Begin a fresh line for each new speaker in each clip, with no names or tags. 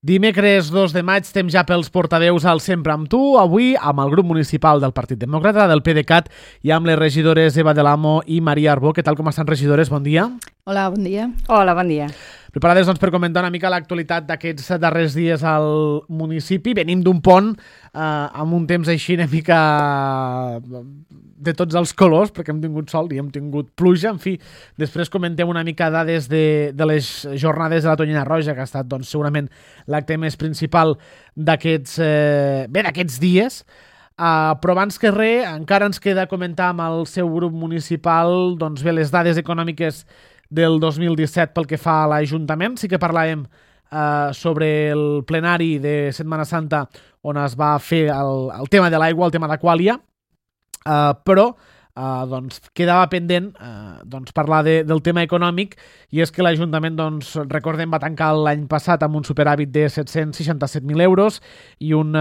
Dimecres 2 de maig, temps ja pels portaveus al Sempre amb tu, avui amb el grup municipal del Partit Demòcrata, del PDeCAT, i amb les regidores Eva del Amo i Maria Arbó. Què tal, com estan, regidores? Bon dia.
Hola, bon dia.
Hola, bon dia.
Preparades doncs, per comentar una mica l'actualitat d'aquests darrers dies al municipi. Venim d'un pont amb un temps així una mica de tots els colors, perquè hem tingut sol i hem tingut pluja. En fi, després comentem una mica dades de les jornades de la Tonyina Roja, que ha estat doncs, segurament l'acte més principal d'aquests dies. Però abans que res, encara ens queda comentar amb el seu grup municipal doncs, bé, les dades econòmiques del 2017 pel que fa a l'Ajuntament. Sí que parlàvem sobre el plenari de Setmana Santa on es va fer el tema de l'aigua, el tema d'Aquàlia, però doncs, quedava pendent parlar del tema econòmic, i és que l'Ajuntament, doncs, recordem, va tancar l'any passat amb un superàvit de 767.000 euros i un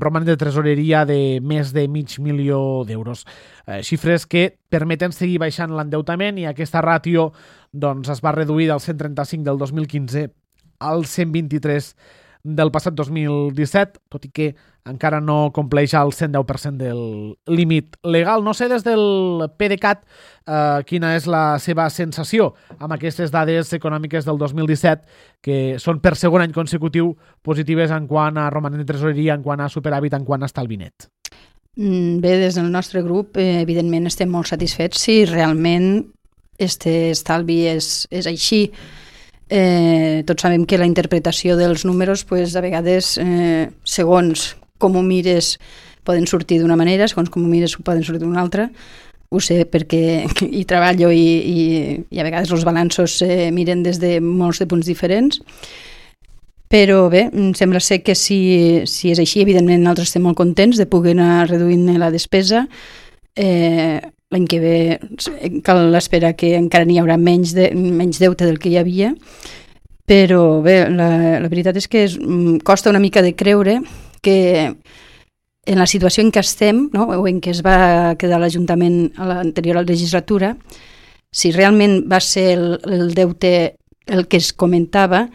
romanent de tresoreria de més de $500.000. Xifres que permeten seguir baixant l'endeutament, i aquesta ràtio doncs, es va reduir del 135 del 2015 al 123 del passat 2017, tot i que encara no compleix el 110% del límit legal. No sé, des del PDeCAT, quina és la seva sensació amb aquestes dades econòmiques del 2017, que són per segon any consecutiu positives en quant a romanent de tresoreria, en quant a superàvit, en quant a estalvi net.
Bé, des del nostre grup, evidentment, estem molt satisfets si realment este estalvi és així. Tots sabem que la interpretació dels números, a vegades, segons com ho mires, poden sortir d'una manera, segons com ho mires poden sortir d'una altra. Ho sé perquè hi treballo i a vegades els balanços miren des de molts de punts diferents. Però bé, sembla ser que si és així, evidentment nosaltres estem molt contents de poder anar reduint la despesa. L'any que ve cal esperar que encara n'hi haurà menys deute del que hi havia, però bé, la veritat és que costa una mica de creure que en la situació en què estem, no, o en què es va quedar l'Ajuntament a l'anterior legislatura, si realment va ser el deute el que es comentava,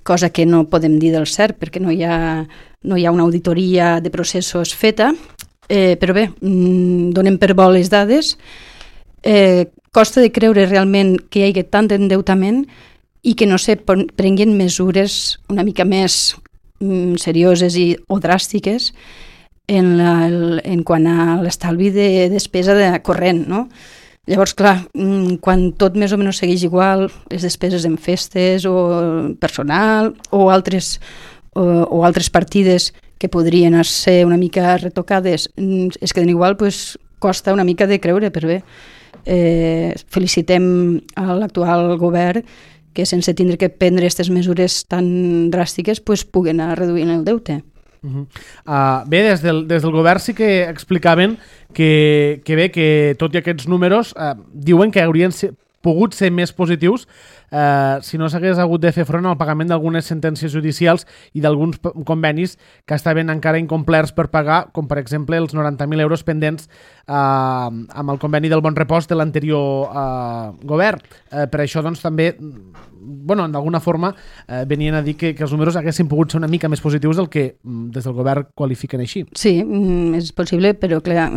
cosa que no podem dir del cert perquè no hi ha una auditoria de processos feta. Però bé, donem per bo les dades. Costa de creure realment que hi hagi tant endeutament i que no se prenguin mesures una mica més serioses o dràstiques en quant a l'estalvi de despesa corrent, no? Llavors, clar, quan tot més o menys segueix igual, les despeses en festes o personal o altres partides que podrien ser una mica retocades es queden igual, costa una mica de creure, però bé, felicitem a l'actual govern que sense tindre que prendre aquestes mesures tan dràstiques puguen anar reduint el deute.
Bé, des del govern sí que explicaven que tot i aquests números diuen que haurien pogut ser més positius si no s'hagués hagut de fer front al pagament d'algunes sentències judicials i d'alguns convenis que estaven encara incomplerts per pagar, com per exemple els 90.000 euros pendents amb el conveni del Bon Repòs de l'anterior govern. Per això doncs també, d'alguna forma venien a dir que els números haguessin pogut ser una mica més positius del que des del govern qualifiquen així.
Sí, és possible, però clar,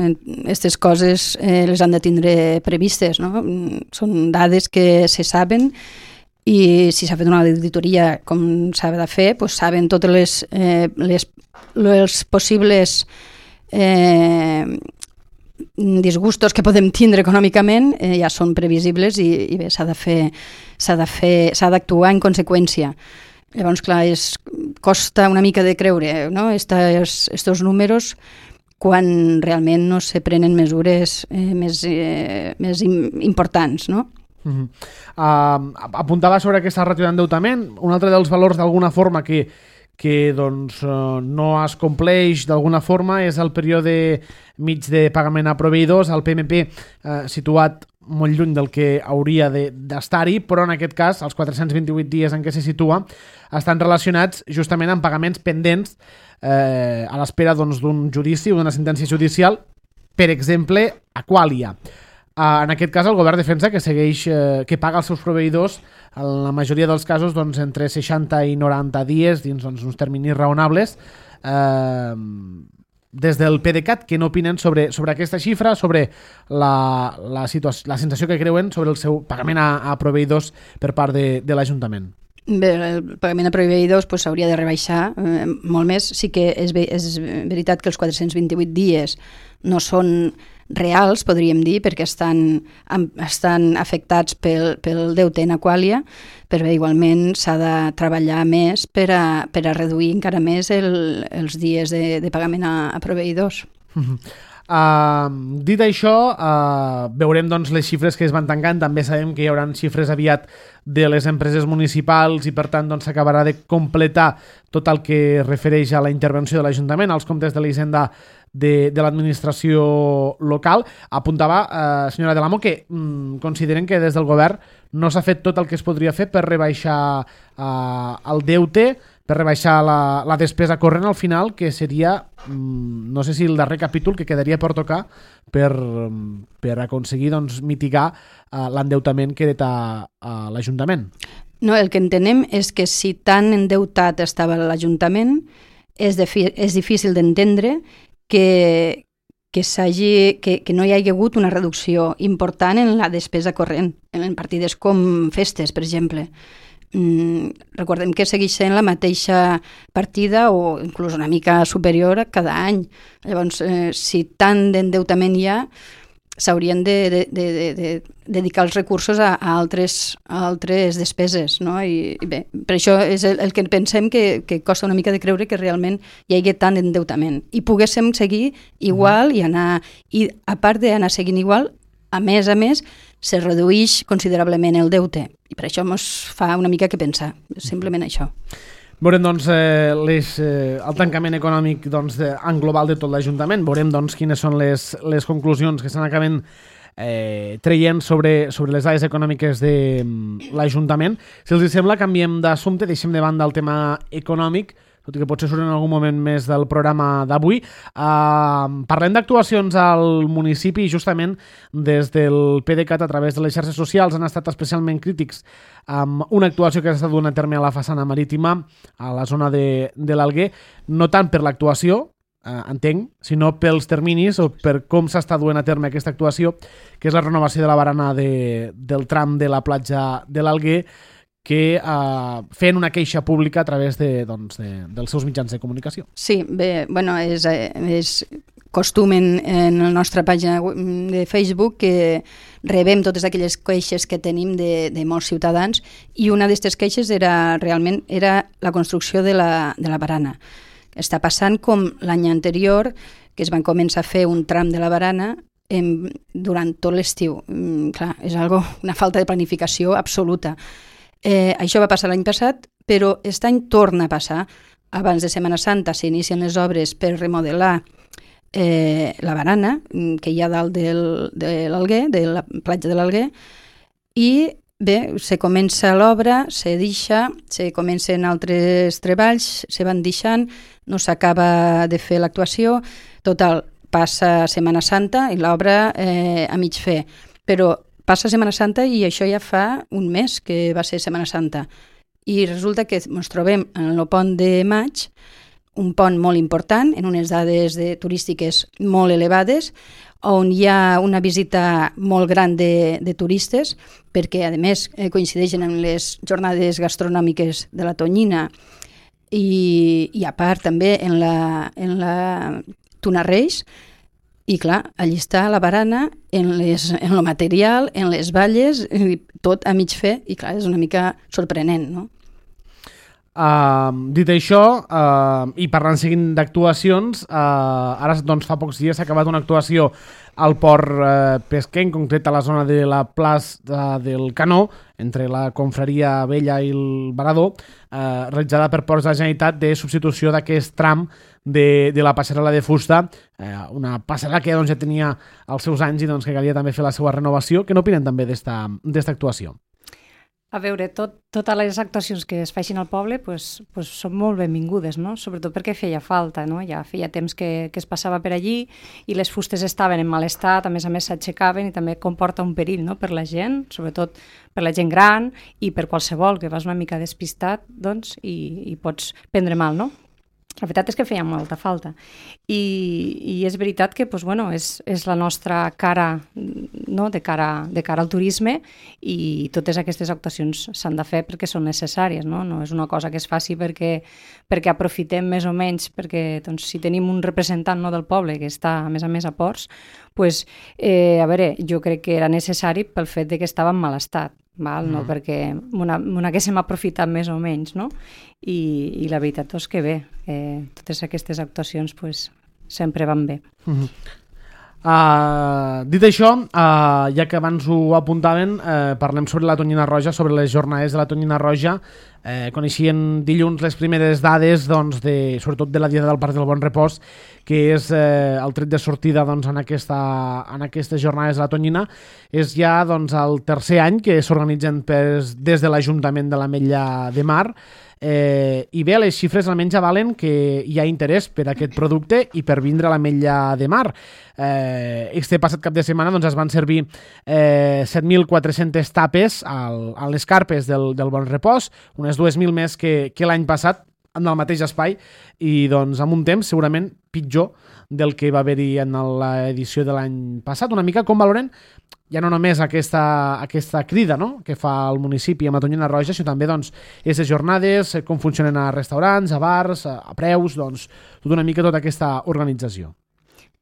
aquestes coses les han de tindre previstes, no? Són dades que se saben, i si s'ha fet una auditoria com s'ha de fer, saben totes les possibles disgustos que podem tindre econòmicament, ja són previsibles i bé, s'ha d'actuar en conseqüència. Llavors, clar, costa una mica de creure, no? Estos números quan realment no se prenen mesures més importants, no?
Apuntava sobre aquesta ràtio d'endeutament. Un altre dels valors d'alguna forma que no es compleix d'alguna forma és el període mig de pagament a proveïdors, el PMP situat molt lluny del que hauria d'estar-hi, però en aquest cas els 428 dies en què se situa estan relacionats justament amb pagaments pendents a l'espera d'un judici o d'una sentència judicial, per exemple, Aquàlia. En aquest cas, el govern defensa que segueix, que paga els seus proveïdors, en la majoria dels casos, doncs, entre 60 i 90 dies, dins doncs, uns terminis raonables. Des del PDeCAT, que no opinen sobre aquesta xifra, sobre la sensació que creuen sobre el seu pagament a proveïdors per part de l'Ajuntament.
Bé, el pagament a proveïdors s'hauria de rebaixar molt més. Sí que és veritat que els 428 dies no són reals, podríem dir, perquè estan afectats pel deute en Aqualia, però igualment s'ha de treballar més per a reduir encara més els dies de pagament a proveïdors.
Dit això, veurem doncs, les xifres que es van tancant. També sabem que hi haurà xifres aviat de les empreses municipals i per tant doncs, s'acabarà de completar tot el que refereix a la intervenció de l'Ajuntament, als comptes de la Hisenda de l'administració local. Apuntava, senyora Del Amo, que consideren que des del govern no s'ha fet tot el que es podria fer per rebaixar el deute, per rebaixar la despesa corrent al final, que seria, no sé si el darrer capítol que quedaria per tocar per aconseguir doncs, mitigar l'endeutament que hereta l'Ajuntament.
No, el que entenem és que si tan endeutat estava l'Ajuntament, és difícil d'entendre que no hi hagi hagut una reducció important en la despesa corrent, en partides com festes, per exemple. Recordem que segueix sent la mateixa partida o inclús una mica superior cada any. Llavors, si tant d'endeutament hi ha, s'haurien de dedicar els recursos a altres despeses, no? I bé, per això és el que pensem que costa una mica de creure que realment hi hagi tant d'endeutament. I poguéssim seguir igual i a part d'anar seguint igual, a més, se redueix considerablement el deute. I per això ens fa una mica que pensar, simplement això.
Veurem doncs, el tancament econòmic doncs, en global de tot l'Ajuntament. Veurem doncs, quines són les conclusions que s'han acabant traient sobre les dades econòmiques de l'Ajuntament. Si els sembla, canviem d'assumpte, deixem de banda el tema econòmic, tot i que potser surt en algun moment més del programa d'avui. Parlem d'actuacions al municipi i justament des del PDeCAT a través de les xarxes socials han estat especialment crítics amb una actuació que s'està duent a terme a la façana marítima, a la zona de l'Alguer, no tant per l'actuació, entenc, sinó pels terminis o per com s'està duent a terme aquesta actuació, que és la renovació de la barana del tram de la platja de l'Alguer, que fent una queixa pública a través dels seus mitjans de comunicació.
Sí, bé, bueno, és costum en la nostra pàgina de Facebook que rebem totes aquelles queixes que tenim de molts ciutadans i una d'aquestes queixes era la construcció de la barana. Està passant com l'any anterior, que es van començar a fer un tram de la barana durant tot l'estiu. Clar, és una falta de planificació absoluta. Això va passar l'any passat, però aquest any torna a passar. Abans de Setmana Santa s'inicien les obres per remodelar la barana que hi ha dalt de l'Alguer, de la platja de l'Alguer, i bé, se comença l'obra, se deixa, se comencen altres treballs, se van deixant, no s'acaba de fer l'actuació, total, passa Setmana Santa i l'obra a mig fer, però passa Setmana Santa i això ja fa un mes que va ser Setmana Santa. I resulta que ens trobem en el pont de maig, un pont molt important, en unes dades turístiques molt elevades, on hi ha una visita molt gran de turistes, perquè a més coincideixen amb les jornades gastronòmiques de la Tonyina i a part també en la Tuna Reis. I clar, allí està la barana, en el material, en les valles, tot a mig fer, i clar, és una mica sorprenent, no?
Dit això, i parlant seguint d'actuacions, ara doncs, fa pocs dies s'ha acabat una actuació al port pesquer, en concret a la zona de la plaça del Canó, entre la Confraria Vella i el Varador, realitzada per Ports de la Generalitat de substitució d'aquest tram de la passarel·la de fusta, una passarel·la que doncs, ja tenia els seus anys i doncs, que calia també fer la seva renovació. Què n'opinen també d'esta actuació?
A veure, totes les actuacions que es facin al poble pues són molt benvingudes, no? Sobretot perquè feia falta, no? Ja feia temps que es passava per allí i les fustes estaven en mal estat, a més s'aixecaven i també comporta un perill, no? Per la gent, sobretot per la gent gran i per qualsevol que vas una mica despistat, doncs, i pots prendre mal, no? La veritat és que feia molta falta i és veritat que doncs, bueno, és la nostra cara, no? de cara al turisme i totes aquestes actuacions s'han de fer perquè són necessàries, no és una cosa que es faci perquè aprofitem més o menys, perquè doncs, si tenim un representant, no, del poble que està a més a Ports, pues, a veure, jo crec que era necessari pel fet de que estava en mal estat. No? Perquè n'haguéssim aprofitat més o menys, no? I la veritat és que bé, totes aquestes actuacions pues, sempre van bé.
Dit això, ja que abans ho apuntaven, parlem sobre la Tonyina Roja, sobre les jornades de la Tonyina Roja. Coneixien dilluns les primeres dades, doncs, sobretot de la Diada del Parc del Bon Repòs, que és el tret de sortida doncs, en aquestes jornades de la Tonyina. És ja doncs, el tercer any que s'organitzen des de l'Ajuntament de l'Ametlla de Mar, i bé, les xifres almenys avalen que hi ha interès per aquest producte i per vindre a l'Ametlla de Mar. Este passat cap de setmana doncs, es van servir 7.400 tapes a les carpes del Bon Repòs, unes 2.000 més que l'any passat en el mateix espai i doncs, amb un temps segurament pitjor del que va haver-hi en l'edició de l'any passat. Una mica com valoren ja no només aquesta crida, no?, que fa el municipi amb la Tonyina Roja, sinó també doncs, aquestes jornades, com funcionen a restaurants, a bars, a preus, doncs, tota una mica tota aquesta organització.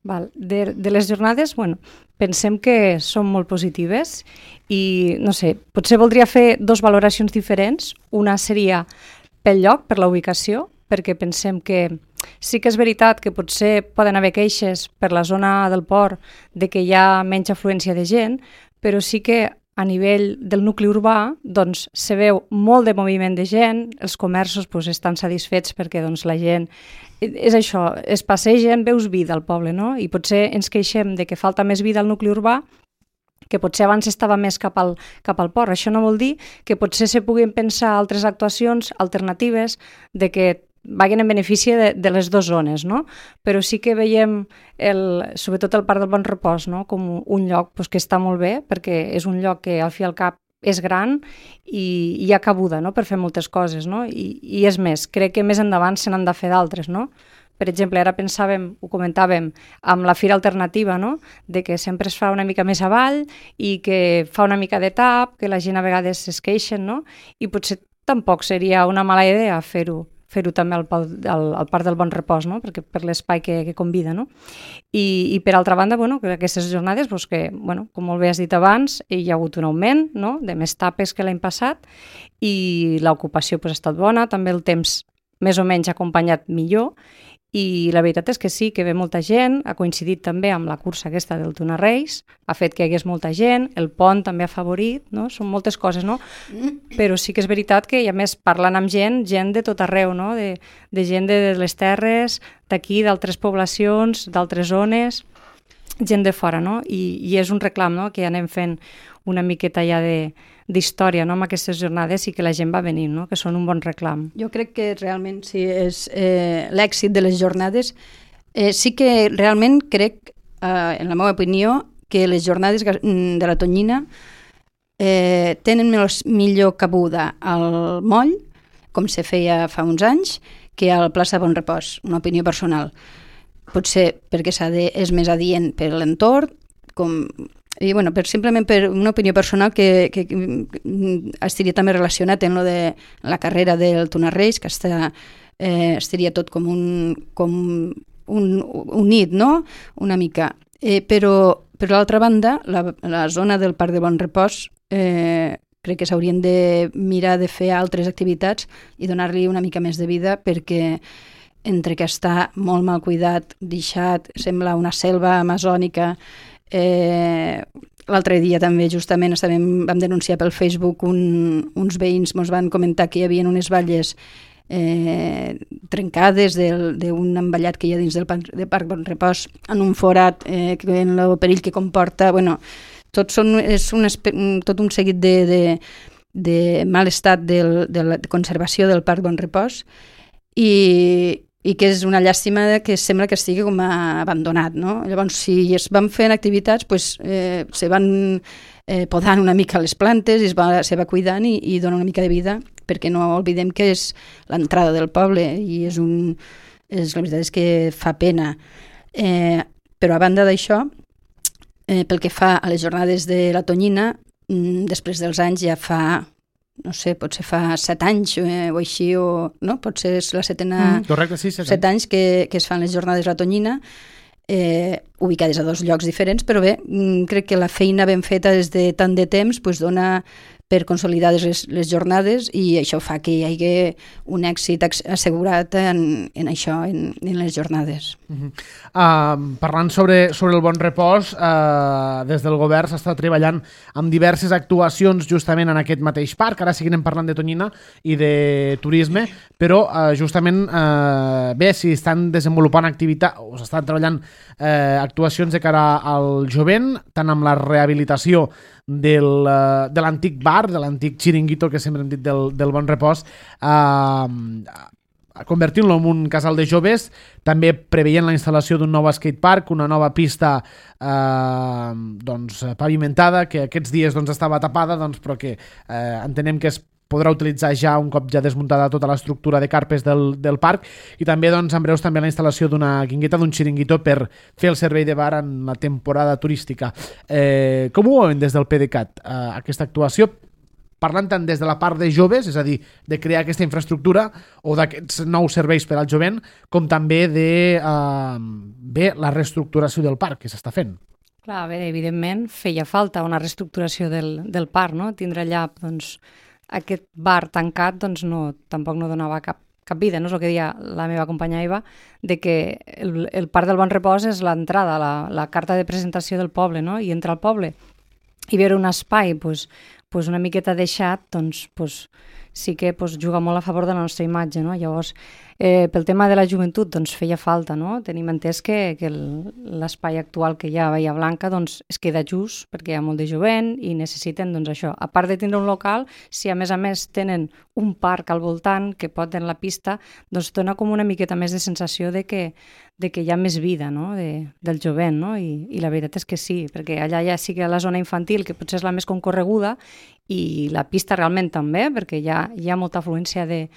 De les jornades, bueno, pensem que són molt positives i, no sé, potser voldria fer dos valoracions diferents. Una seria pel lloc, per la ubicació, perquè pensem que sí que és veritat que potser poden haver queixes per la zona del port de que hi ha menys afluència de gent, però sí que a nivell del nucli urbà doncs, se veu molt de moviment de gent, els comerços doncs, estan satisfets perquè doncs, la gent, és això, es passegen, veus vida al poble, no? I potser ens queixem de que falta més vida al nucli urbà, que potser abans estava més cap al port. Això no vol dir que potser se puguin pensar altres actuacions alternatives de que vagin en benefici de les dues zones, no? Però sí que veiem, sobretot el Parc del Bon Repòs, no? Com un lloc doncs, que està molt bé, perquè és un lloc que al fi i al cap és gran i hi ha cabuda, no?, per fer moltes coses, no? I és més, crec que més endavant se n'han de fer d'altres, no? Per exemple, ara pensàvem, ho comentàvem, amb la Fira Alternativa, no?, de que sempre es fa una mica més avall i que fa una mica de tap, que la gent a vegades es queixen, no? I potser tampoc seria una mala idea fer-ho també al Parc del Bon Repòs, no? Perquè per l'espai que convida, no? I per altra banda, bueno, aquestes jornades, doncs que, bueno, com molt bé has dit abans, hi ha hagut un augment, no?, de més tapes que l'any passat i l'ocupació doncs, ha estat bona, també el temps més o menys ha acompanyat millor i la veritat és que sí, que ve molta gent, ha coincidit també amb la cursa aquesta del Tuna Reis, ha fet que hi hagués molta gent, el pont també ha favorit, no? Són moltes coses, no? Però sí que és veritat que, i a més, parlant amb gent de tot arreu, no? De gent de les terres, d'aquí, d'altres poblacions, d'altres zones, gent de fora, no? I és un reclam, no?, que anem fent una miqueta ja d'història, no?, amb aquestes jornades i que la gent va venir, no?, que són un bon reclam.
Jo crec que realment sí, és l'èxit de les jornades. Sí que realment crec, en la meva opinió, que les jornades de la Tonyina tenen millor cabuda al moll, com se feia fa uns anys, que al plaça Bon Repòs, una opinió personal. Potser perquè és més adient per l'entorn, i bueno, simplement per una opinió personal que estaria també relacionat amb de la carrera del Tuna Reis, que estaria tot com unit, no?, una mica. Però per l'altra banda, la zona del Parc de Bon Repòs crec que s'haurien de mirar de fer altres activitats i donar-li una mica més de vida, perquè entre que està molt mal cuidat, deixat, sembla una selva amazònica. L'altre dia també justament vam denunciar pel Facebook, uns veïns ens van comentar que hi havia unes valles trencades d'un envallat que hi ha dins del Parc Bon Repòs, en un forat, en el perill que comporta. Bueno, tot un seguit de mal estat de la conservació del Parc Bon Repòs i que és una llàstima que sembla que estigui com abandonat, no? Llavors, si es van fent activitats, se van podant una mica les plantes i se va cuidant i dona una mica de vida, perquè no oblidem que és l'entrada del poble i la veritat és que fa pena. Però a banda d'això, pel que fa a les jornades de la Tonyina, després dels anys ja fa, no sé, potser fa 7 anys o així, no? Potser és la setena...
Correcte, sí,
7 anys que es fan les jornades de la Tonyina, ubicades a 2 llocs diferents, però bé, crec que la feina ben feta des de tant de temps dona per consolidar les jornades i això fa que hi hagi un èxit assegurat en això, en les jornades.
Parlant sobre el Bon Repòs, des del govern s'està treballant amb diverses actuacions justament en aquest mateix parc. Ara seguirem parlant de Tonyina i de turisme, però justament bé, si estan desenvolupant activitats o s'estan treballant actuacions de cara al jovent, tant amb la rehabilitació de l'antic bar, de l'antic xiringuito que sempre hem dit del Bon Repòs, convertint-lo en un casal de joves, també preveient la instal·lació d'un nou skatepark, una nova pista pavimentada, que aquests dies estava tapada, però que entenem que es podrà utilitzar ja un cop ja desmuntada tota l'estructura de carpes del parc, i també en breus també la instal·lació d'una guingueta, d'un xiringuito per fer el servei de bar en la temporada turística. Com ho veuen des del PDeCAT, aquesta actuació, parlant tant des de la part de joves, és a dir, de crear aquesta infraestructura o d'aquests nous serveis per al jovent, com també de la reestructuració del parc que s'està fent?
Clar, bé, evidentment feia falta una reestructuració del parc, no? Tindre allà, aquest bar tancat tampoc no donava cap vida, no és el que deia la meva companya Eva, de que el Parc del Bon Repòs és l'entrada, la carta de presentació del poble, no? I entrar al poble i veure un espai una miqueta deixat, sí que juga molt a favor de la nostra imatge, no? Llavors, pel tema de la joventut, feia falta, no? Tenim entès que l'espai actual que hi ha a Bahia Blanca es queda just perquè hi ha molt de jovent i necessiten això. A part de tindre un local, si a més tenen un parc al voltant que pot tenir la pista, dona com una miqueta més de sensació de que hi ha més vida, no? Del jovent, no? I la veritat és que sí, perquè allà ja sí que la zona infantil, que potser és la més concorreguda, i la pista realment també, perquè hi ha molta afluència de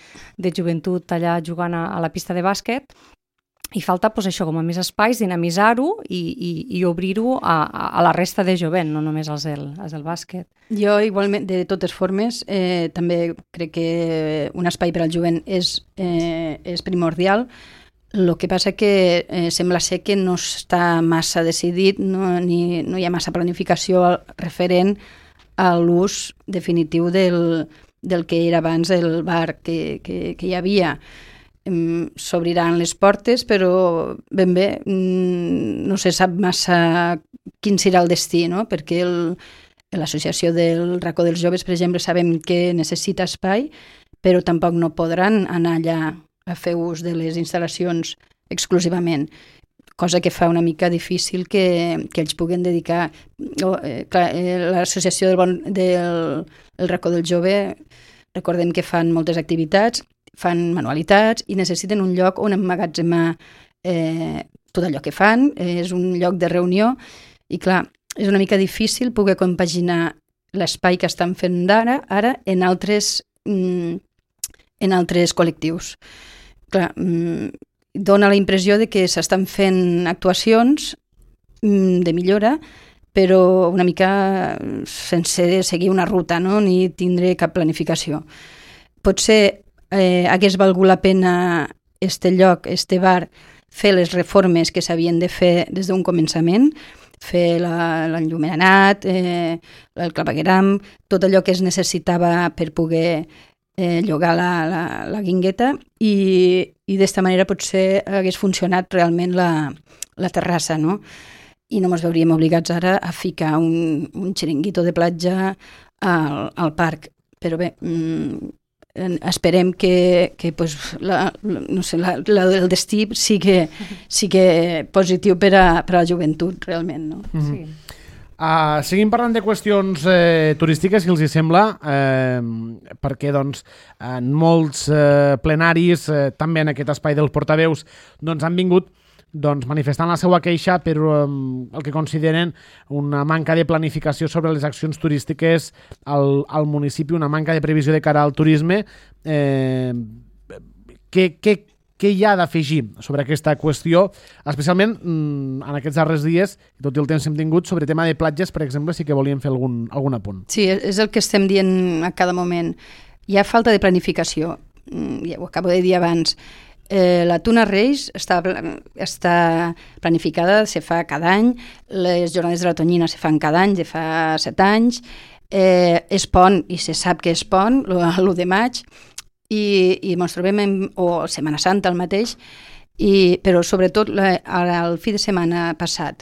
joventut allà jugant a la pista de bàsquet, i falta això, com a més espais, dinamitzar-ho i obrir-ho a la resta de jovent, no només als del bàsquet.
Jo igualment, de totes formes, també crec que un espai per al jovent és primordial. El que passa que sembla ser que no està massa decidit, no hi ha massa planificació referent a l'ús definitiu del que era abans el bar que hi havia. S'obriran les portes, però ben bé no se sap massa quin serà el destí, no? Perquè l'associació del Racó dels Joves, per exemple, sabem que necessita espai, però tampoc no podran anar allà a fer ús de les instal·lacions exclusivament, cosa que fa una mica difícil que ells puguen dedicar. L'associació del Racó del Jove, recordem que fan moltes activitats, fan manualitats i necessiten un lloc on emmagatzemar tot allò que fan, és un lloc de reunió i clar, és una mica difícil poder compaginar l'espai que estan fent ara en altres col·lectius. Clar, dona la impressió de que s'estan fent actuacions de millora, però una mica sense seguir una ruta, no? Ni tindre cap planificació. Potser hagués valgut la pena lloc, bar, fer les reformes que s'havien de fer des d'un començament, fer l'enllumenat, el clavegueram, tot allò que es necessitava per poder llogar la guingueta i d'esta manera potser hagués funcionat realment la terrassa, no? I no ens veuríem obligats ara a ficar un xiringuito de platja al parc. Però bé, esperem que el destí sigui positiu per a la joventut, realment, no?
Sí.
Seguim parlant de qüestions turístiques, si els hi sembla, perquè doncs, en molts plenaris, també en aquest espai dels portaveus, doncs, han vingut manifestant la seva queixa per el que consideren una manca de planificació sobre les accions turístiques al municipi, una manca de previsió de cara al turisme. Què hi ha d'afegir sobre aquesta qüestió, especialment en aquests darrers dies, tot i el temps que hem tingut, sobre tema de platges, per exemple, sí que volíem fer algun apunt.
Sí, és el que estem dient a cada moment. Hi ha falta de planificació, ja ho acabo de dir abans. La Tuna Reis està planificada, se fa cada any, les jornades de la Tonyina se fan cada any, de fa 7 anys, és pont, i se sap que és pont, l'1 de maig, i ens trobem o Setmana Santa el mateix, però sobretot el fi de setmana passat,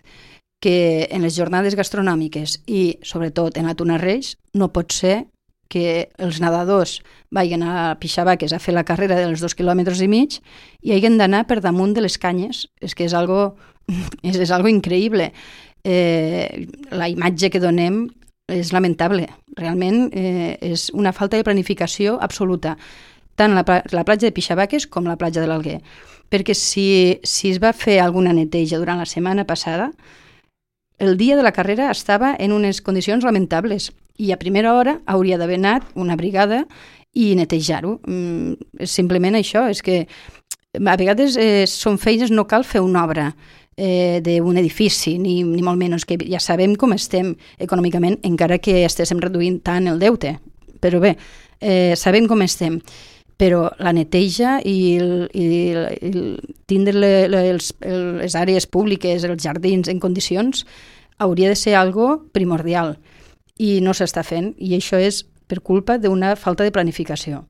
que en les jornades gastronòmiques i sobretot en la Tuna Reis no pot ser que els nedadors vagin a Pixabaques a fer la carrera dels 2,5 quilòmetres i hagin d'anar per damunt de les canyes. És que és algo increïble. La imatge que donem és lamentable. Realment és una falta de planificació absoluta, tant la platja de Pixabaques com la platja de l'Alguer. Perquè si es va fer alguna neteja durant la setmana passada, el dia de la carrera estava en unes condicions lamentables i a primera hora hauria d'haver anat una brigada i netejar-ho. És simplement això, és que a vegades són feines, no cal fer una obra d'un edifici, ni molt menys, que ja sabem com estem econòmicament, encara que estéssim reduint tant el deute. Però bé, sabem com estem. Però la neteja i tindre les àrees públiques, els jardins en condicions, hauria de ser algo primordial i no s'està fent, i això és per culpa d'una falta de planificació.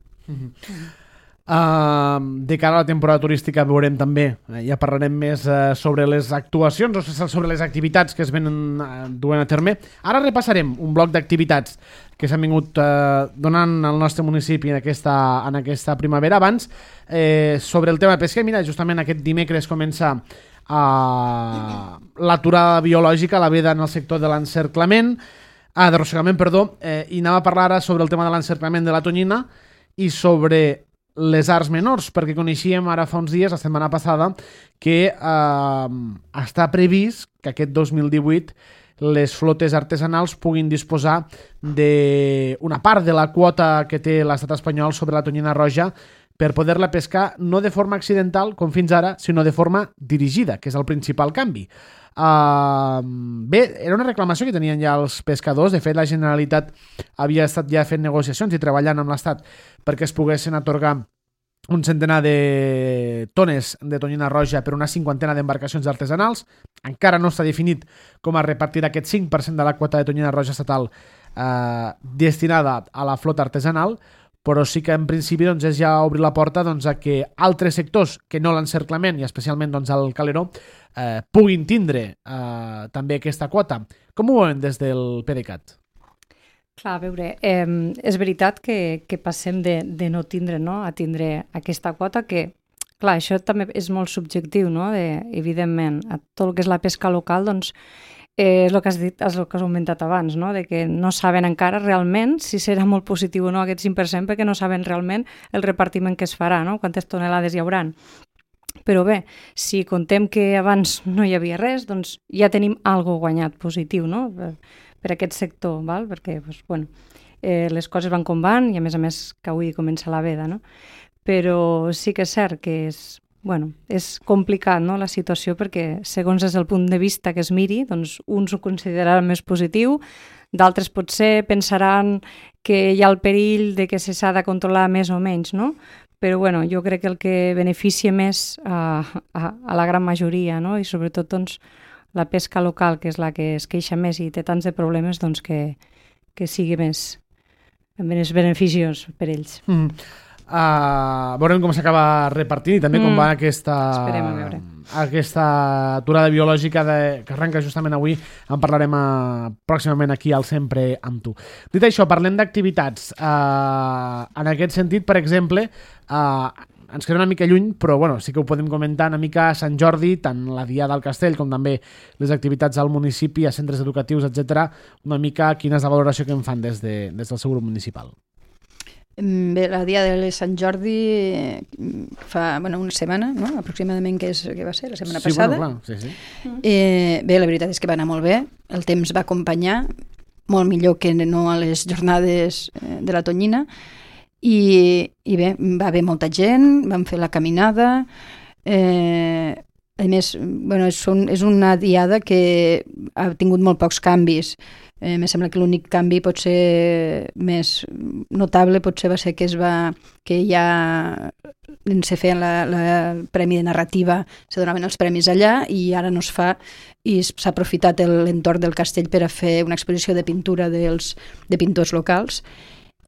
De cara a la temporada turística veurem també, ja parlarem més sobre les actuacions o sobre les activitats que es venen duent a terme. Ara repassarem un bloc d'activitats que s'han vingut donant al nostre municipi en aquesta primavera. Abans, sobre el tema de pesca, mira, justament aquest dimecres comença l'aturada biològica, la veda en el sector de l'encerclament, d'arrossegament, i anava a parlar ara sobre el tema de l'encerclament de la Tonyina i sobre les arts menors, perquè coneixíem ara fa uns dies, la setmana passada, que està previst que aquest 2018 les flotes artesanals puguin disposar d'una part de la quota que té l'estat espanyol sobre la tonyina roja per poder-la pescar no de forma accidental, com fins ara, sinó de forma dirigida, que és el principal canvi. Bé, era una reclamació que tenien ja els pescadors. De fet, la Generalitat havia estat ja fent negociacions i treballant amb l'Estat perquè es poguessin atorgar un centenar de tones de tonyina roja per una 50 d'embarcacions artesanals. Encara no està definit com es repartirà aquest 5% de la quota de tonyina roja estatal destinada a la flota artesanal, però sí que en principi és ja obrir la porta a que altres sectors que no l'encerclament, i especialment el caleró, puguin tindre també aquesta quota. Com ho veuen des del PDeCAT?
Clar, a veure, és veritat que passem de no tindre, no?, a tindre aquesta quota que, clar, això també és molt subjectiu, no?, evidentment, a tot el que és la pesca local, doncs, és el que has dit, és el que has comentat abans, no?, de que no saben encara realment si serà molt positiu o no aquest 5%, perquè no saben realment el repartiment que es farà, no?, quantes tonelades hi hauran. Però bé, si contem que abans no hi havia res, doncs ja tenim algo guanyat positiu, no?, per aquest sector, val? Perquè les coses van com van i a més que avui comença la veda, no? Però sí que és cert que és complicat, no?, la situació, perquè segons des del punt de vista que es miri, doncs uns ho consideraran més positiu, d'altres potser pensaran que hi ha el perill de que s'ha de controlar més o menys, no? Però jo crec que el que beneficia més a la gran majoria, no?, i sobretot doncs la pesca local, que és la que es queixa més i té tants de problemes, doncs que sigui més beneficiós per ells.
Veurem com s'acaba repartint i també com va aquesta aturada biològica que arrenca justament avui. En parlarem pròximament aquí al Sempre amb tu. Dit això, parlem d'activitats. En aquest sentit, per exemple, ens queda una mica lluny, però bueno, sí que ho podem comentar una mica a Sant Jordi, tant la Diada al Castell com també les activitats al municipi, a centres educatius, etc. Una mica quina és la valoració que en fan des del seu grup municipal.
Bé, la dia de Sant Jordi fa una setmana, no? Aproximadament, que va ser la setmana passada.
Bueno, clar, sí.
Bé, la veritat és que va anar molt bé, el temps va acompanyar, molt millor que no a les jornades de la Tonyina, i bé, va haver molta gent, vam fer la caminada, a més, és una diada que ha tingut molt pocs canvis. Me sembla que l'únic canvi potser més notable va ser que ja se feien el Premi de Narrativa, se donaven els premis allà i ara no es fa, i s'ha aprofitat l'entorn del castell per a fer una exposició de pintura de pintors locals.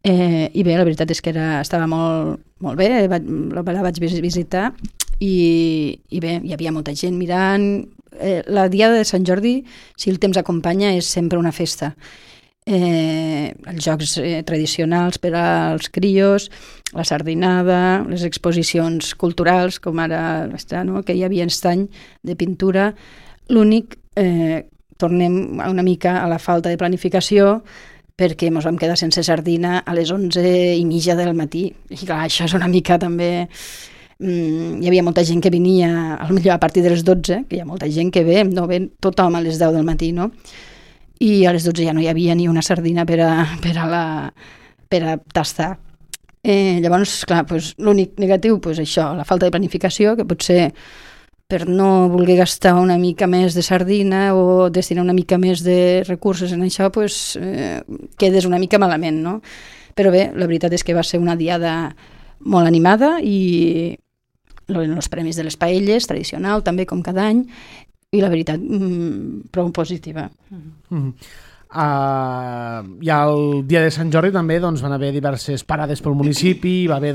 I bé, la veritat és que estava molt bé, la vaig visitar i bé, hi havia molta gent mirant. La Diada de Sant Jordi, si el temps acompanya, és sempre una festa. Els jocs tradicionals per als crios, la sardinada, les exposicions culturals, com ara que hi havia estany de pintura. L'únic, tornem una mica a la falta de planificació, perquè ens vam quedar sense sardina a les 11:30 del matí. I clar, això és una mica també... Hi havia molta gent que venia, potser a partir de les 12, que hi ha molta gent que ve, no ve tothom a les 10 del matí, no? I a les 12 ja no hi havia ni una sardina per a tastar. Llavors, clar, l'únic negatiu, això, la falta de planificació, que potser per no voler gastar una mica més de sardina o destinar una mica més de recursos en això, quedes una mica malament, no? Però bé, la veritat és que va ser una diada molt animada i els premis de les paelles, tradicional, també com cada any, i la veritat, prou positiva.
I el dia de Sant Jordi també van haver diverses parades pel municipi, va haver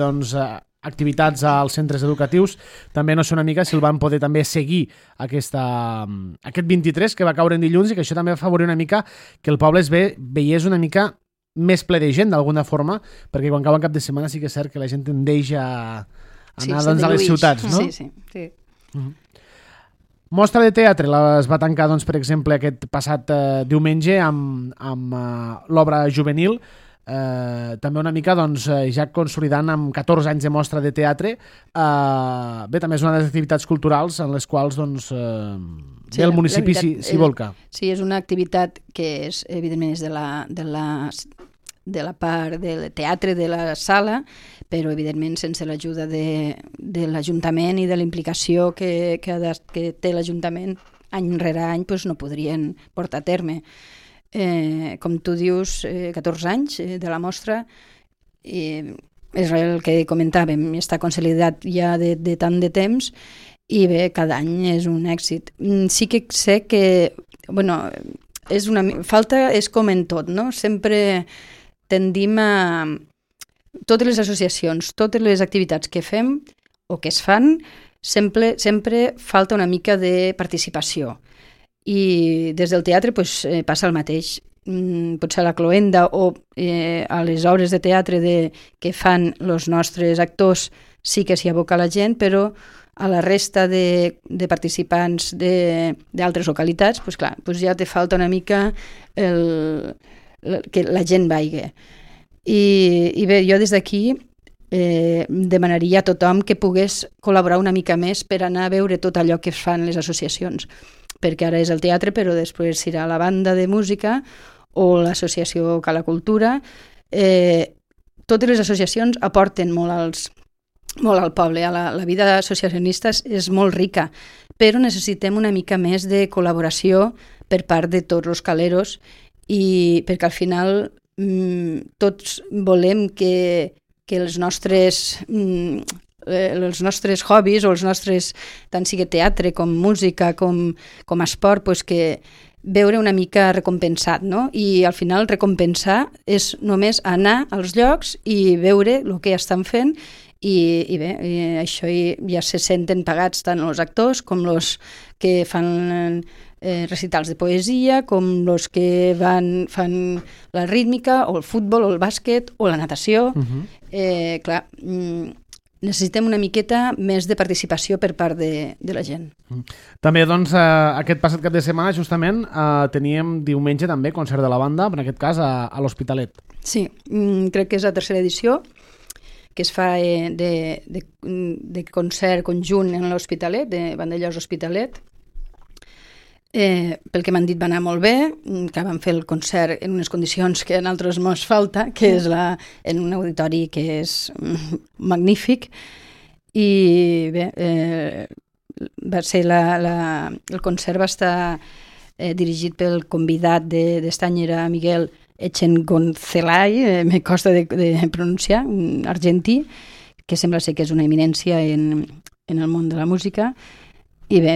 activitats als centres educatius. També no sé una mica si el van poder també seguir aquest 23, que va caure en dilluns, i que això també va afavorir una mica que el poble veiés una mica més ple de gent, d'alguna forma, perquè quan cau en cap de setmana sí que és cert que la gent tendeix a anar a les ciutats, no?
Sí.
Mostra de teatre es va tancar, per exemple, aquest passat diumenge amb l'obra juvenil, també una mica ja consolidant amb 14 anys de mostra de teatre. Bé, també és una de les activitats culturals en les quals el municipi s'hi volca.
Sí, és una activitat que és, evidentment, és de la part del teatre de la sala, però evidentment sense l'ajuda de l'Ajuntament i de la implicació que té l'Ajuntament any rere any no podrien portar a terme. Com tu dius, 14 anys de la mostra, és el que comentàvem, està consolidat ja de tant de temps, i bé, cada any és un èxit. Sí que sé que, falta és com en tot, no? Sempre tendim a... Totes les associacions, totes les activitats que fem o que es fan, sempre falta una mica de participació. I des del teatre passa el mateix. Potser a la cloenda o a les obres de teatre que fan els nostres actors sí que s'hi aboca la gent, però a la resta de participants d'altres localitats, clar, ja te falta una mica que la gent vagi. I bé, jo des d'aquí demanaria a tothom que pogués col·laborar una mica més per anar a veure tot allò que fan les associacions, perquè ara és el teatre, però després serà la banda de música o l'associació Cala Cultura. Totes les associacions aporten molt al poble. La vida associacionista és molt rica, però necessitem una mica més de col·laboració per part de tots els caleros, i perquè al final tots volem que els nostres hobbies o els nostres, tant sigui teatre com música com esport, que veure una mica recompensat, no? I al final recompensar és només anar als llocs i veure el que estan fent, i bé, això ja se senten pagats tant els actors com els que fan recitals de poesia, com els que fan la rítmica o el futbol o el bàsquet o la natació. Clar, necessitem una miqueta més de participació per part de la gent.
També, doncs, aquest passat cap de setmana, justament, teníem diumenge també concert de la banda, en aquest cas a l'Hospitalet.
Sí, crec que és la tercera edició que es fa de concert conjunt en l'Hospitalet, de Vandellòs Hospitalet. Pel que m'han dit va anar molt bé, que vam fer el concert en unes condicions que a nosaltres mos falta, que és en un auditori que és magnífic, i bé, va ser el concert va estar dirigit pel convidat d'Estanyera, Miguel Echengoncelay, me costa de pronunciar, un argentí, que sembla ser que és una eminència en el món de la música. I bé,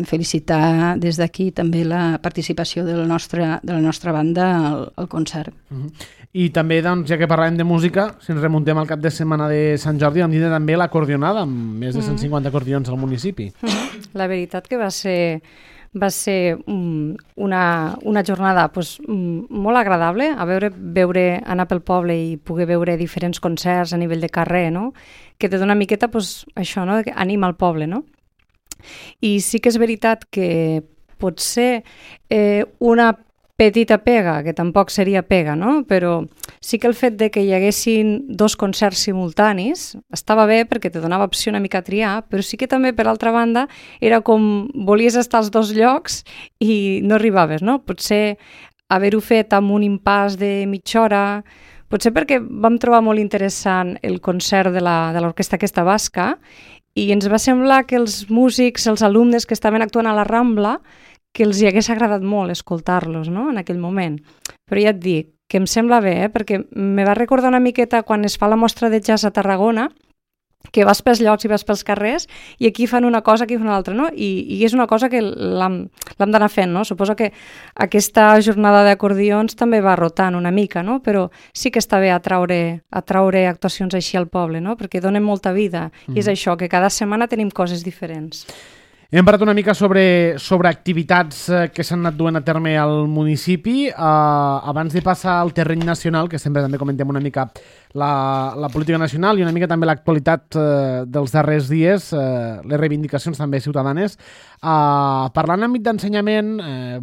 felicitar des d'aquí també la participació de la nostra banda al concert.
I també, doncs, ja que parlàvem de música, si ens remuntem al cap de setmana de Sant Jordi, vam dir també l'acordionada, amb més de 150 acordions al municipi.
La veritat que va ser una jornada molt agradable, anar pel poble i poder veure diferents concerts a nivell de carrer, no? Que te dona una miqueta això, no? Que anima al poble, no? I sí que és veritat que potser una petita pega, que tampoc seria pega, no? Però sí que el fet de que hi haguessin 2 concerts simultanis estava bé perquè te donava opció una mica a triar, però sí que també, per altra banda, era com volies estar als 2 llocs i no arribaves, no? Potser haver-ho fet amb un impàs de mitja hora, potser perquè vam trobar molt interessant el concert de l'orquestra aquesta basca, i ens va semblar que els músics, els alumnes que estaven actuant a la Rambla, que els hi hagués agradat molt escoltar-los, no?, en aquell moment. Però ja et dic que em sembla bé, perquè me va recordar una miqueta quan es fa la mostra de jazz a Tarragona, que vas pels llocs i vas pels carrers, i aquí fan una cosa, aquí fan una altra, no? I és una cosa que l'hem d'anar fent, no? Suposo que aquesta jornada d'acordions també va rotant una mica, no? Però sí que està bé atraure actuacions així al poble, no? Perquè donen molta vida, i és això, que cada setmana tenim coses diferents.
Hem parlat una mica sobre activitats que s'han anat duent a terme al municipi. Abans de passar al terreny nacional, que sempre també comentem una mica la política nacional i una mica també l'actualitat dels darrers dies, les reivindicacions també ciutadanes. Parlant en àmbit d'ensenyament,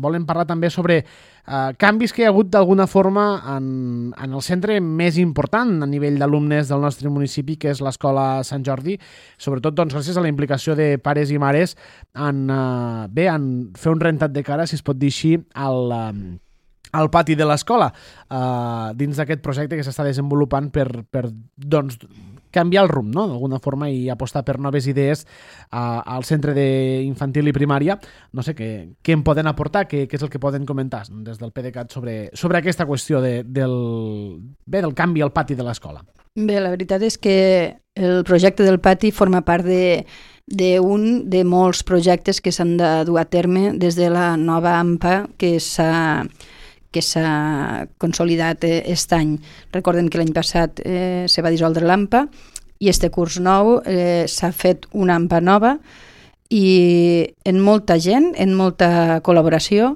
volem parlar també sobre canvis que hi ha hagut d'alguna forma en el centre més important a nivell d'alumnes del nostre municipi, que és l'Escola Sant Jordi, sobretot doncs, gràcies a la implicació de pares i mares en fer un rentat de cara, si es pot dir així, al pati de l'escola, dins d'aquest projecte que s'està desenvolupant per doncs, canviar el rumb, no?, d'alguna forma, i apostar per noves idees al centre d'infantil i primària. No sé, què em poden aportar, què és el que poden comentar des del PDeCAT sobre aquesta qüestió del canvi al pati de l'escola.
Bé, la veritat és que el projecte del pati forma part d'un de molts projectes que s'han de dur a terme des de la nova AMPA que s'ha consolidat aquest any. Recordem que l'any passat se va dissoldre l'AMPA i este curs nou s'ha fet una AMPA nova i en molta gent, en molta col·laboració,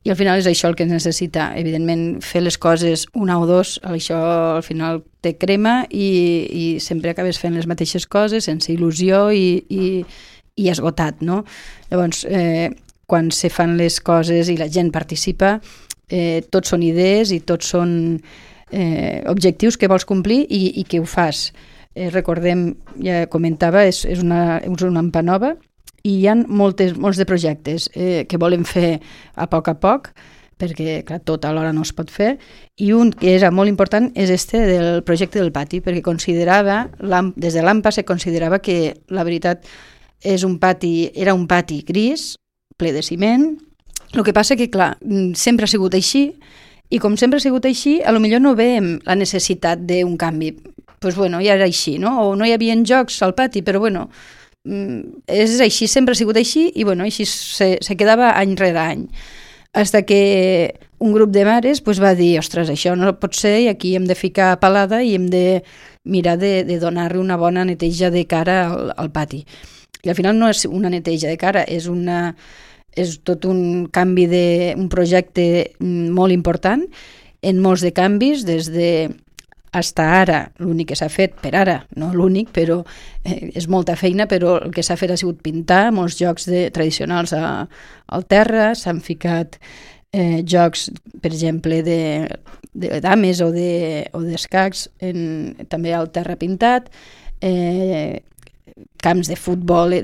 i al final és això el que es necessita. Evidentment, fer les coses una o dos, això al final te crema i sempre acabes fent les mateixes coses sense il·lusió i esgotat, no? Llavors, quan se fan les coses i la gent participa, tots són idees i tots són objectius que vols complir i que ho fas. Recordem, ja comentava, és una AMPA nova i hi ha molts de projectes que volem fer a poc, perquè clar, tot alhora no es pot fer, i un que era molt important és del projecte del pati, perquè des de l'AMPA se considerava que la veritat era un pati gris, ple de ciment. El que passa que, clar, sempre ha sigut així, i com sempre ha sigut així, potser no veiem la necessitat d'un canvi. Doncs bueno, ja era així, no? O no hi havia jocs al pati, però bueno, és així, sempre ha sigut així, i bueno, així se quedava any rere any. Fins que un grup de mares va dir, ostres, això no pot ser, i aquí hem de ficar palada i hem de mirar de donar-li una bona neteja de cara al pati. I al final no és una neteja de cara, és tot un canvi un projecte molt important, en molts de canvis, des de hasta ara, l'únic que s'ha fet per ara, no l'únic, però és molta feina, però el que s'ha fet ha sigut pintar molts jocs tradicionals al terra, s'han ficat jocs, per exemple, de dames o d'escacs, també al terra pintat, camps de futbol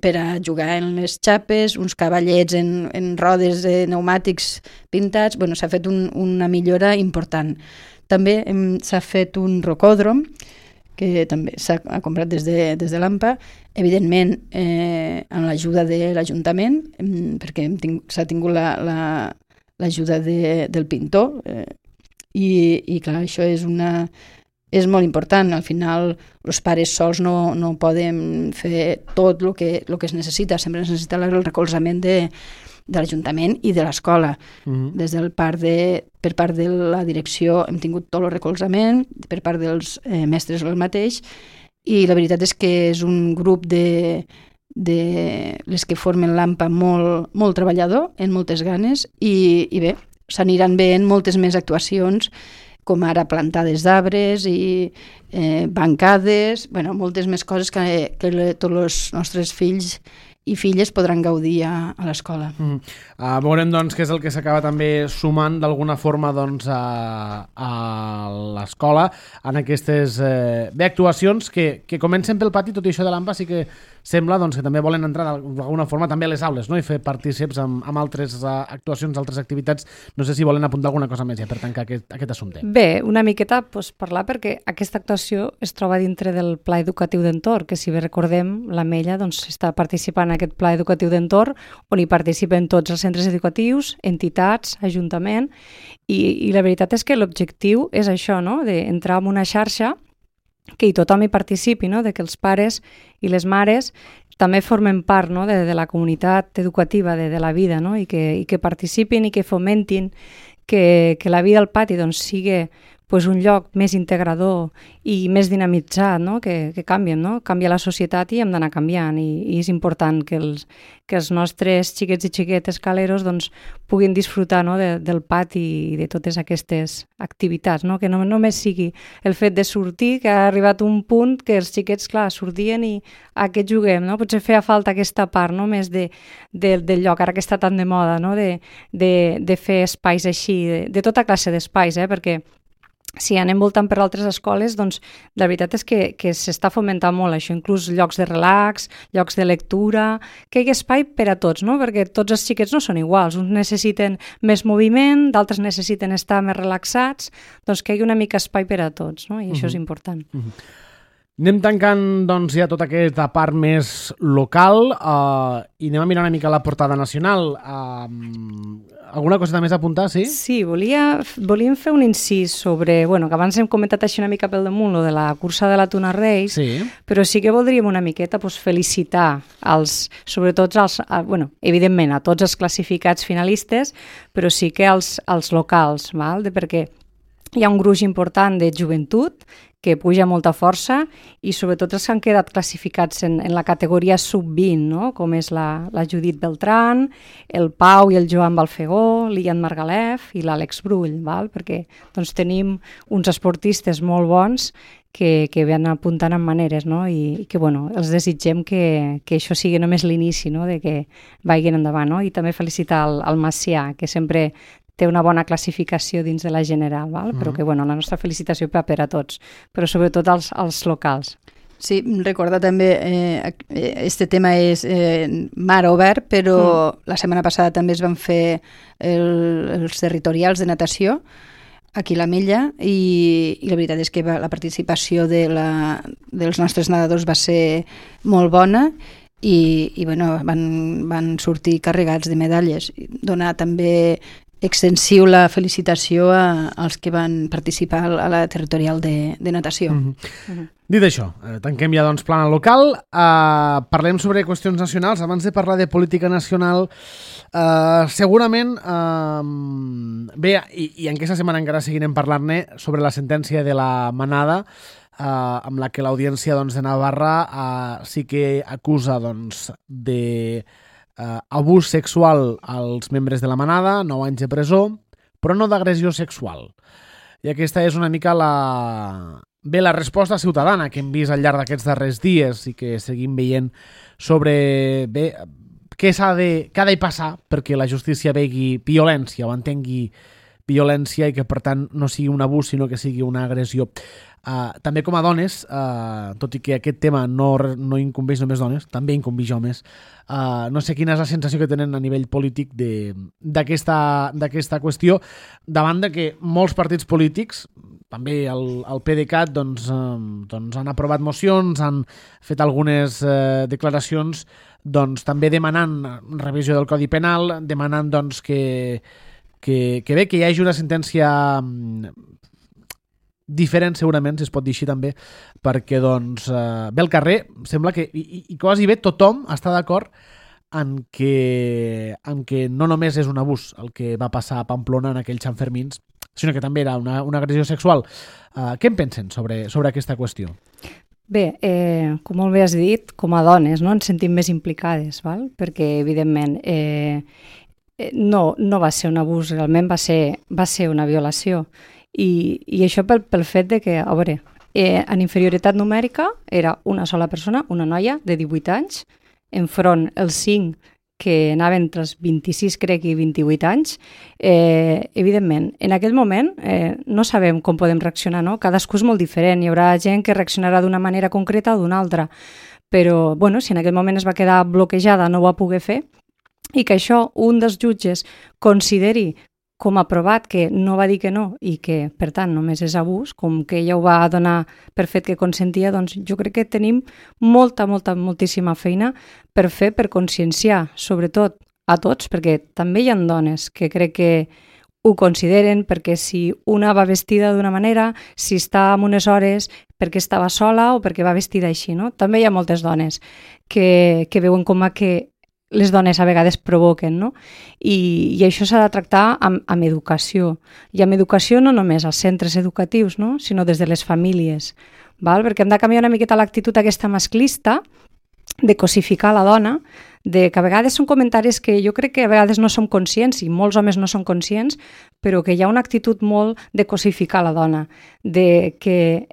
per a jugar en les xapes, uns cavallets en rodes de pneumàtics pintats. Bueno, s'ha fet una millora important. També s'ha fet un rocòdrom, que també s'ha comprat des de l'AMPA, evidentment amb l'ajuda de l'Ajuntament, perquè s'ha tingut l'ajuda del pintor, i clar, això és molt important. Al final, els pares sols no poden fer tot el que es necessita, sempre es necessita el recolzament de l'Ajuntament i de l'escola. Des del per part de la direcció hem tingut tot el recolzament, per part dels mestres el mateix, i la veritat és que és un grup de les que formen l'AMPA molt treballador, amb moltes ganes, i bé, s'aniran veient moltes més actuacions, com ara plantades d'arbres i bancades, moltes més coses que tots els nostres fills i filles podran gaudir a l'escola.
Veurem doncs què és el que s'acaba també sumant d'alguna forma doncs, a l'escola en aquestes actuacions que comencen pel pati. Tot i això de l'AMPA sí que sembla doncs, que també volen entrar d'alguna forma també a les aules, no? I fer partícips amb altres actuacions, altres activitats. No sé si volen apuntar alguna cosa més ja per tancar aquest assumpte.
Bé, una miqueta parlar perquè aquesta actuació es troba dintre del Pla Educatiu d'Entorn, que si bé recordem, l'Ametlla està participant en aquest Pla Educatiu d'Entorn, on hi participen tots els centres educatius, entitats, ajuntament, i la veritat és que l'objectiu és això, no? D'entrar en una xarxa que tothom hi participi, no? De que els pares i les mares també formen part, no? de la comunitat educativa de la vida, no? I que participin i que fomentin que la vida al pati sigui un lloc més integrador i més dinamitzat, no? que canvien, no? Canvia la societat i hem d'anar canviant, i és important que els nostres xiquets i xiquetes caleros puguin disfrutar, no? del pati i de totes aquestes activitats, no? Que no només sigui el fet de sortir, que ha arribat un punt que els xiquets, clar, sortien i a què juguem, no? Potser feia falta aquesta part, no? Més del lloc, ara que està tan de moda, no? De fer espais així, de tota classe d'espais, perquè si anem voltant per altres escoles, la veritat és que s'està fomentant molt això, inclús llocs de relax, llocs de lectura, que hi hagi espai per a tots, no? Perquè tots els xiquets no són iguals, uns necessiten més moviment, d'altres necessiten estar més relaxats, que hi hagi una mica espai per a tots, no? I això és important.
Anem tancant ja tota aquesta part més local i anem a mirar una mica la portada nacional. Alguna cosa més a apuntar, sí? Sí,
volíem fer un incís sobre, que abans hem comentat així una mica pel damunt, lo de la cursa de la Tuna Reis, sí. Però sí que voldríem una miqueta felicitar sobretot evidentment a tots els classificats finalistes, però sí que als locals, perquè hi ha un gruix important de joventut que puja molta força, i sobretot els que han quedat classificats en la categoria sub-20, no? Com és la Judit Beltrán, el Pau i el Joan Balfegó, l'Ian Margalef i l'Àlex Brull, perquè tenim uns esportistes molt bons que van apuntant en maneres, no? I que els desitgem que això sigui només l'inici, no? De que vagin endavant, no? I també felicitar al Macià, que sempre té una bona classificació dins de la general, però que la nostra felicitació per a tots, però sobretot als locals.
Sí, recorda també, este tema és mar obert, però la setmana passada també es van fer els territorials de natació aquí a l'Ametlla, i la veritat és que la participació dels nostres nedadors va ser molt bona, i van sortir carregats de medalles. Donar també extensiu la felicitació als que van participar a la territorial de natació.
Dit això, tanquem ja plana local, parlem sobre qüestions nacionals. Abans de parlar de política nacional, segurament bé, i en aquesta setmana encara seguirem parlant-ne sobre la sentència de la Manada, amb la que l'Audiència de Navarra sí que acusa de abús sexual als membres de la Manada, 9 anys de presó, però no d'agressió sexual. I aquesta és una mica la resposta ciutadana que hem vist al llarg d'aquests darrers dies i que seguim veient sobre què ha de passar perquè la justícia vegi violència o entengui violència i que per tant no sigui un abús sinó que sigui una agressió. També com a dones, tot i que aquest tema no incumbeix només dones, també incumbeix homes, no sé quina és la sensació que tenen a nivell polític d'aquesta qüestió davant de que molts partits polítics, també el PDeCAT, doncs han aprovat mocions, han fet algunes declaracions doncs, també demanant revisió del Codi Penal, demanant doncs, que hi hagi una sentència diferent segurament, si es pot dir així també, perquè doncs, bé al carrer sembla que, i quasi bé tothom està d'acord en que no només és un abús el que va passar a Pamplona en aquells Santfermins, sinó que també era una agressió sexual. Què en pensen sobre aquesta qüestió?
Bé, com molt bé has dit, com a dones no ens sentim més implicades, val? Perquè evidentment no va ser un abús, realment va ser una violació. I això pel fet de que, a veure, en inferioritat numèrica era una sola persona, una noia de 18 anys, enfront els 5 que anaven entre els 26, crec, i 28 anys. Evidentment, en aquell moment no sabem com podem reaccionar, no? Cadascú és molt diferent, hi haurà gent que reaccionarà d'una manera concreta o d'una altra, però bueno, si en aquell moment es va quedar bloquejada, no ho va poder fer, i que això un dels jutges consideri com a provat que no va dir que no i que, per tant, només és abús, com que ella ho va donar per fet que consentia, doncs jo crec que tenim moltíssima feina per fer, per conscienciar, sobretot a tots, perquè també hi ha dones que crec que ho consideren, perquè si una va vestida d'una manera, si està en unes hores perquè estava sola o perquè va vestida així, no? També hi ha moltes dones que veuen com a que les dones a vegades provoquen, no? I això s'ha de tractar amb educació. I amb educació no només als centres educatius, no? Sinó des de les famílies, val? Perquè hem de canviar una miqueta l'actitud aquesta masclista de cosificar la dona, de que a vegades són comentaris que jo crec que a vegades no som conscients, i molts homes no són conscients, però que hi ha una actitud molt de cosificar la dona, de que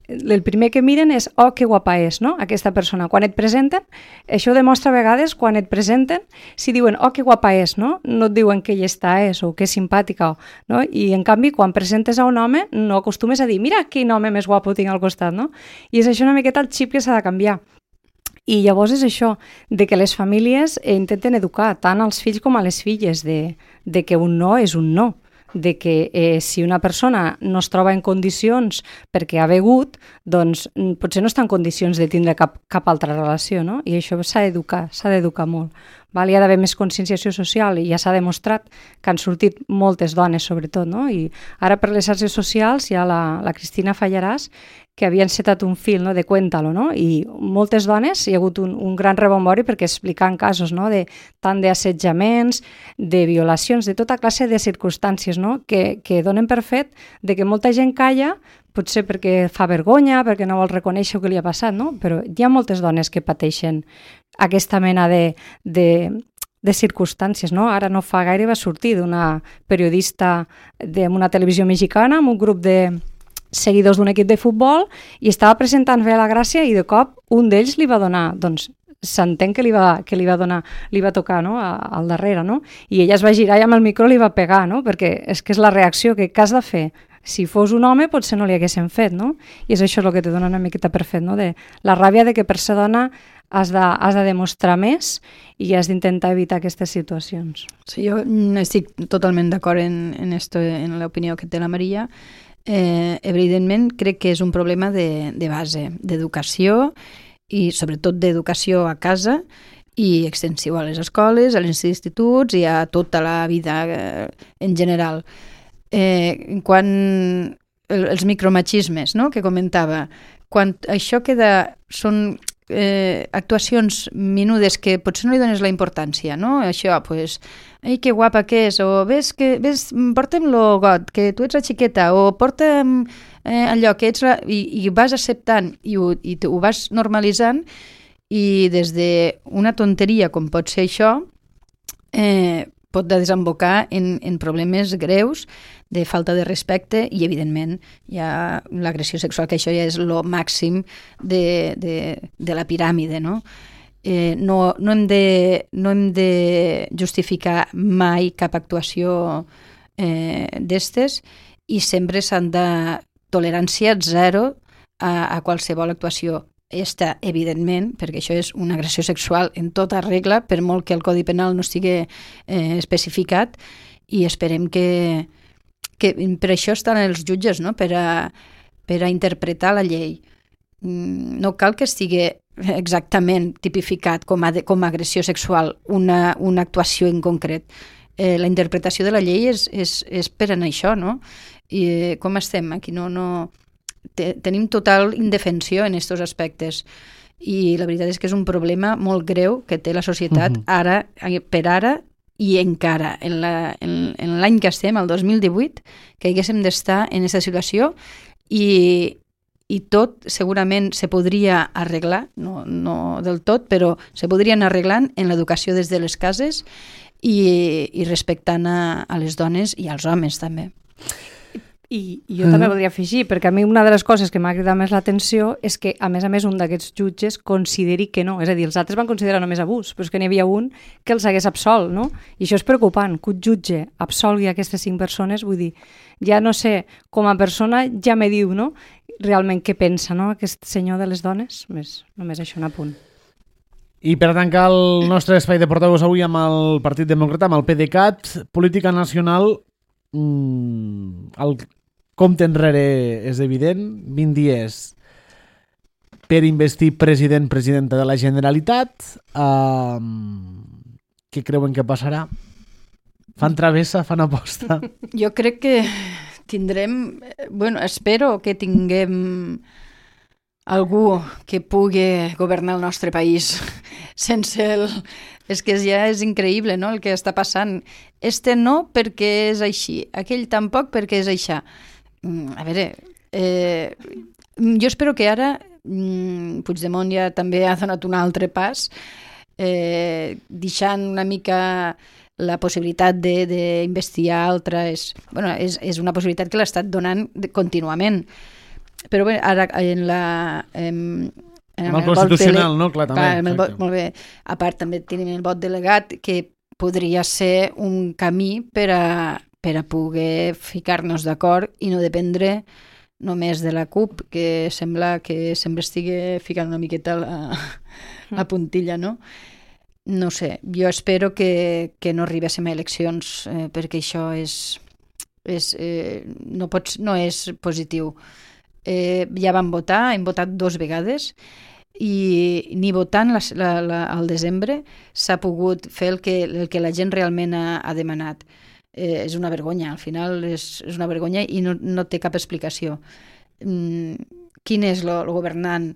el primer que miren és oh, que guapa és, no? Aquesta persona. Quan et presenten, això demostra a vegades, quan et presenten, si diuen oh, que guapa és, no? No et diuen que llesta és o que és simpàtica, no? I en canvi, quan presentes a un home, no acostumes a dir mira quin home més guapo tinc al costat, no? I és això una miqueta el xip que s'ha de canviar. I llavors és això, de que les famílies intenten educar tant als fills com a les filles, de que un no és un no, de que si una persona no es troba en condicions perquè ha begut, doncs potser no està en condicions de tindre cap altra relació, no? I això s'ha d'educar molt. Val? Hi ha d'haver més conscienciació social i ja s'ha demostrat que han sortit moltes dones, sobretot, no? I ara per les xarxes socials hi ha la Cristina Fallaràs, que havia encetat un fil, no?, de Cuéntalo, no? I moltes dones, hi ha hagut un gran rebombori perquè explicaven casos, no?, tant d'assetjaments, de violacions, de tota classe de circumstàncies, no?, que donen per fet de que molta gent calla, potser perquè fa vergonya, perquè no vol reconèixer el que li ha passat, no? Però hi ha moltes dones que pateixen aquesta mena de circumstàncies, no? Ara no fa gaire va sortir d'una periodista d'una televisió mexicana amb un grup de seguidors d'un equip de futbol i estava presentant Fe a la Gràcia i de cop un d'ells li va donar, doncs s'entén que li va tocar, no?, al darrere, no? I ella es va girar i amb el micro li va pegar, no? Perquè és que és la reacció que has de fer. Si fos un home potser no li haguessin fet, no? I és això el que te dona una miqueta per fet, no? De la ràbia de que per ser dona has de demostrar més i has d'intentar evitar aquestes situacions.
Sí, jo estic totalment d'acord en l'opinió que té la Maria. Evidentment crec que és un problema de base, d'educació i sobretot d'educació a casa i extensiu a les escoles, als instituts i a tota la vida en general. Quan els micromachismes, no?, que comentava, quan això són actuacions menudes que potser no li dones la importància, no? Això, pues, ai, que guapa que és, o ves, portem-lo got, que tu ets la xiqueta, o porta'm allò que ets i vas acceptant i ho vas normalitzant i des d'una tonteria com pot ser això pot desembocar en problemes greus de falta de respecte i, evidentment, hi ha l'agressió sexual, que això ja és el màxim de la piràmide, no? No hem de justificar mai cap actuació d'estes i sempre s'han de tolerància zero a qualsevol actuació. Esta, evidentment, perquè això és una agressió sexual en tota regla, per molt que el Codi Penal no estigui especificat, i esperem que per això estan els jutges, no? Per a interpretar la llei. No cal que estigui exactament tipificat com a agressió sexual una actuació en concret. La interpretació de la llei és per anar això, no? I com estem? Aquí tenim total indefensió en aquests aspectes, i la veritat és que és un problema molt greu que té la societat ara i encara en l'any que estem, el 2018, que haguéssim d'estar en aquesta situació, i tot segurament se podria arreglar, no del tot, però se podria anar arreglant en l'educació des de les cases i respectant a les dones i als homes també.
I jo també voldria afegir, perquè a mi una de les coses que m'ha cridat més l'atenció és que, a més, un d'aquests jutges consideri que no. És a dir, els altres van considerar només abús, però és que n'hi havia un que els hagués absolt, no? I això és preocupant, que un jutge absolgui aquestes 5 persones, vull dir, ja no sé, com a persona ja me diu, no?, realment què pensa, no?, aquest senyor de les dones. Només això, un apunt.
I per tancar el nostre espai de portaveus avui amb el Partit Demòcrata, amb el PDeCAT, política nacional, el compte enrere és evident, 20 dies per investir presidenta de la Generalitat. Què creuen que passarà? Fan travessa, fan aposta?
Jo crec que tindrem, espero que tinguem algú que pugui governar el nostre país sense És que ja és increïble, no?, el que està passant. Este no perquè és així, aquell tampoc perquè és això. A veure, jo espero que ara Puigdemont ja també ha donat un altre pas, deixant una mica la possibilitat d'investigar altres... És una possibilitat que l'ha estat donant contínuament. Però bé, ara
amb el constitucional, no? Clar, també.
Molt bé. A part, també tenim el vot delegat, que podria ser un camí per a poder ficar-nos d'acord i no dependre només de la CUP, que sembla que sempre estigui ficant una miqueta la puntilla, no? No sé, jo espero que no arribéssim a eleccions, perquè això no és positiu. Ja vam votar, hem votat 2 vegades, i ni votant al desembre s'ha pogut fer el que la gent realment ha demanat. És una vergonya, al final és una vergonya i no té cap explicació. Quin és el governant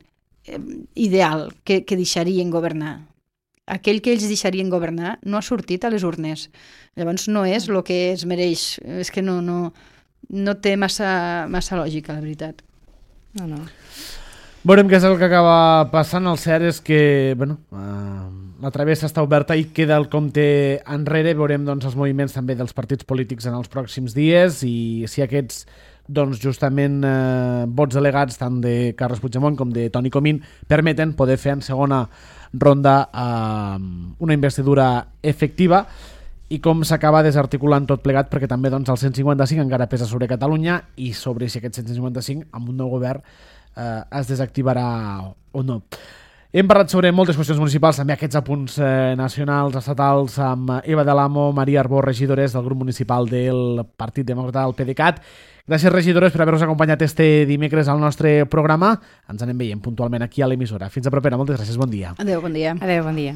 ideal que deixarien governar? Aquell que ells deixarien governar no ha sortit a les urnes. Llavors no és el que es mereix. És que no té massa lògica, la veritat.
No.
Veurem què és el que acaba passant. El cert és que la travessa està oberta i queda el compte enrere. Veurem els moviments també dels partits polítics en els pròxims dies i si aquests justament vots delegats tant de Carles Puigdemont com de Toni Comín permeten poder fer en segona ronda una investidura efectiva i com s'acaba desarticulant tot plegat, perquè també el 155 encara pesa sobre Catalunya i sobre si aquest 155 amb un nou govern es desactivarà o no. Hem parlat sobre moltes qüestions municipals, també aquests apunts nacionals, estatals, amb Eva de l'Amo, Maria Arbó, regidores del grup municipal del Partit Demòcrata del PDeCAT. Gràcies, regidores, per haver-nos acompanyat este dimecres al nostre programa. Ens anem veient puntualment aquí a l'emissora. Fins a propera, moltes gràcies, bon dia.
Adéu, bon dia.
Adéu, bon dia.